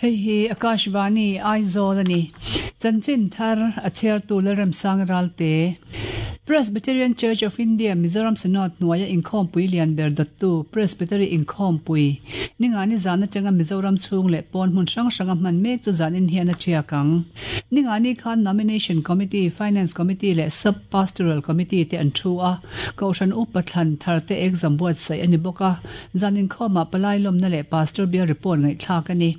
Hei hi Akashvani Aizawl a ni. Chanchin thar a chhiartu Lalremsang Ralte. Presbyterian Church of India Mizoram Synod hnuaia inkhawmpui lian ber dawttu Presbytery Inkhawmpui Ningani zan atanga Mizoram chhung leh pawn hmun hrang hranga hman mek chu zanin hian a thiak ang. Ningani khan Nomination Committee, Finance Committee leh Sub Pastoral Committee te an thu a, Kohhran Upa thlan thar te exam buatsaih a ni bawk a. Zan inkhawmah palai lawmna leh Pastor Bial report ngaihthlak a ni.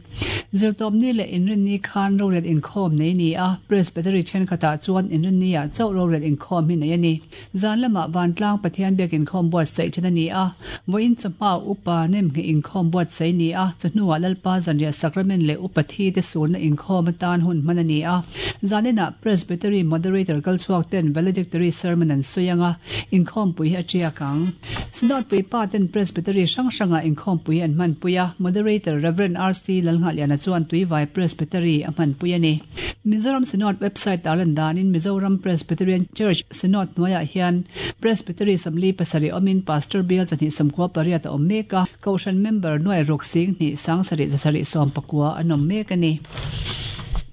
Zirtawpni leh Inrinni khan rorel inkhawm nei ni a, Presbytery thenkhatah chuan Inrinni-ah chauh rorel inkhawm hi nei a ni. Zan lamah Vantlang Pathian biak inkhawm buatsaih then a ni a, vawiin chawhma Upa Nemngheh inkhawm buatsaih ni a, chawhnuah Lalpa Zanriah Sacrament leh Upa Thi te surna inkhawm atan hun hman a ni a. Zaninah Presbytery Moderator kalchhuak ten Valedictory Sermon an sawi ang a, inkhawmpui hi a tiak ang. Synod puipa ten Presbytery hrang hrangah inkhawmpui an hmanpui a, Moderator Rev. RC Lalnghahliana chuan Tuivai Presbytery a hmanpui a ni. Mizoram Synod website ah lan danin Mizoram Presbyterian Church Synod hnuaiah hian Presbytery 47 awmin Pastor Bial 298 a awm mek a, Kohhran member nuai ruk 10 7 719 an awm mek a ni.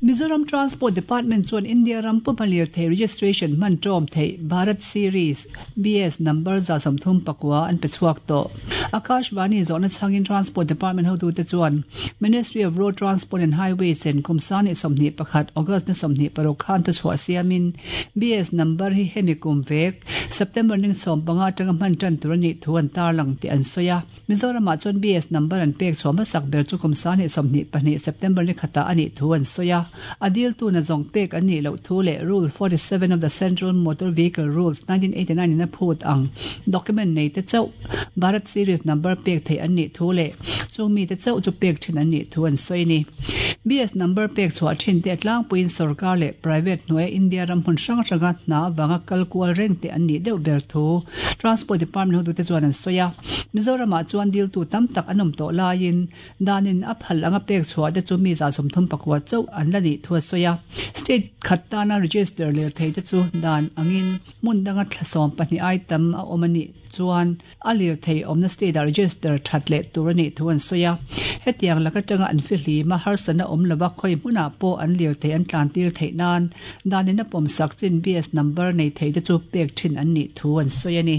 Mizoram Transport Department chuan India ram puma lirthei registration hman tawm theih Bharat Series, BS, number 39 an pe chhuak tawh. Akashvani zawhna chhangin Transport Department hotute chuan Ministry of Road Transport and Highways in kum 2021 August ni 26 khan thuchhuah siamin BS number hi hemi kum vek September ning 15 atanga hman tan tur a nih thu an tarlang tih an sawi a. Mizoramah chuan BS number an pek chhuah hmasak ber chu kum 2022 September ni khatah a nih thu an sawi a. A diltu na zawng pek an nih loh thu leh Rule 47 of the Central Motor Vehicle Rules, 1989 in a phut ang document nei te chauh Bharat Series number pek theih an nih thu leh chung mite chauh chu pek thin an nih thu an sawi a ni. BS number pek chhuah thin te a tlangpuiin sorkar leh private hnuaia India ram hmun hrang hranga hna avanga kal kual reng te an nih deuh ber thu Transport Department hotute chuan an sawi a. Mizoramah chuan diltu tam tak an awm tawh laiin danin a phal anga pek chhuah te chu mi 39 chauh an la nih thu a sawi a. State khat tana register lirthei te chu dan angin hmun danga thla 12 ai tam a awm a nih chuan a lirthei awmna state ah register that leh tur a nih thu an sawi a. Hetiang lak atanga an fihlim a, harsatna awm lova khawi hmunah pawh an lirthei an tlantir theih nan danin a pawmsak chin BS number nei thei te chu pek thin an nih thu an sawi a ni.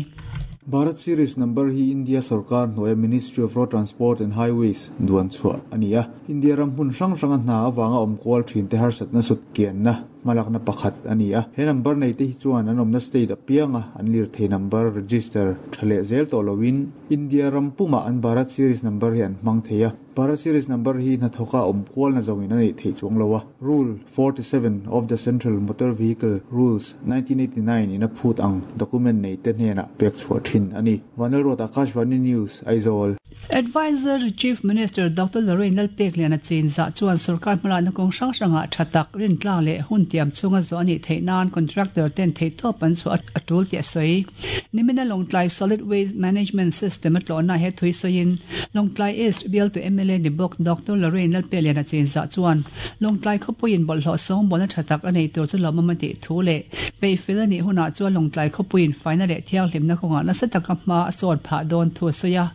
Bharat Series number hi India sorkar hnuaia Ministry of Road Transport and Highways duan chhuah a ni a. India ram hmun hrang hranga hna avanga awm kual thin te harsatna sut kianna hmalakna pakhat a ni a. He number nei te hi chuan an awmna state apianga an lirthei number register tha leh zel tawh loin India ram pumah an Bharat Series number hi an hmang thei a. Bharat Series number hi hnathawka awm kualna zawngin a neih theih chuang lo a. Rule 47 of the Central Motor Vehicle Rules, 1989 in a phut ang document nei te hnenah pek chhuah thin a ni. Vanlalruat Akashvani News, Aizawl. Adviser Chief Minister Doctor Lorraine Lalpekliana chinzah chuan sorkar hmalakna kawng hrang hrangah tha tak, rintlang leh hun tiam chhunga zawh a nih theih nan contractor ten theihtawp an chhuah a tul tih a sawi. Nimina Lawngtlai Solid Waste Management System a tlawhna he thui sawiin Lawngtlai East bialtu mla ni bawk Doctor Lorraine Lalpeliana chinzah chuan Lawngtlai khawpuiin bawlhhlawh sawngbawlna tha tak a nei tur chu lawmawm a tih thu leh peihfel a nih hunah chuan Lawngtlai khawpuiin faina leh thianghlimna kawngah nasa taka hma a sawt phah dawn thu a sawi a.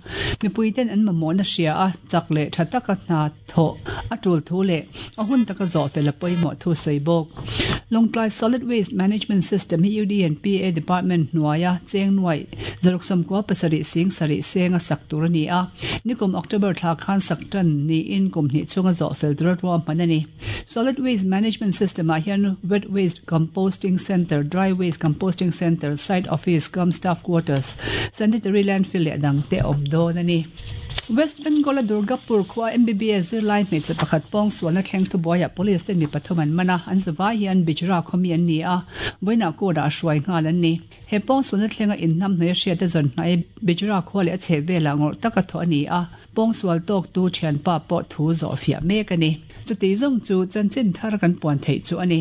Mipuiten an mamawhna hria a, chak leh tha taka hna thawh a tul thu leh a hun taka zawh fel a pawimawh thu sawi bawk. Lawngtlai Solid Waste Management System hi UDNPA Department hnuaia cheng nuaih 697 sing sarih seng a sak tur a ni a, nikum October thla khan sak tan niin kum hnih chhunga zawh fel tura ruahman a ni. Solid Waste Management System ah hian Wet Waste Composting Centre, Dry Waste Composting Centre, Site Office cum Staff Quarters, Sanitary Landfill leh a dangte a awm dawn a ni. West Bengal-a Durgapur khua MBBS zirlai hmeichhe pakhat pawngsualna thleng thubuaiah police ten mi pathum an man a, an zavai hian Bijra khawmi an ni a, vawiinah court-ah hruai nghal an ni. He pawngsualna thlenga inhnamhnawih a hriat a zawn hnai Bijra khua leh a chhehvelah ngawrh taka thawh a ni a, pawngsual tawktu thianpa pawh thu zawhfiah mek a ni. Chuti zawng chu chanchin thar kan puan theih chu a ni.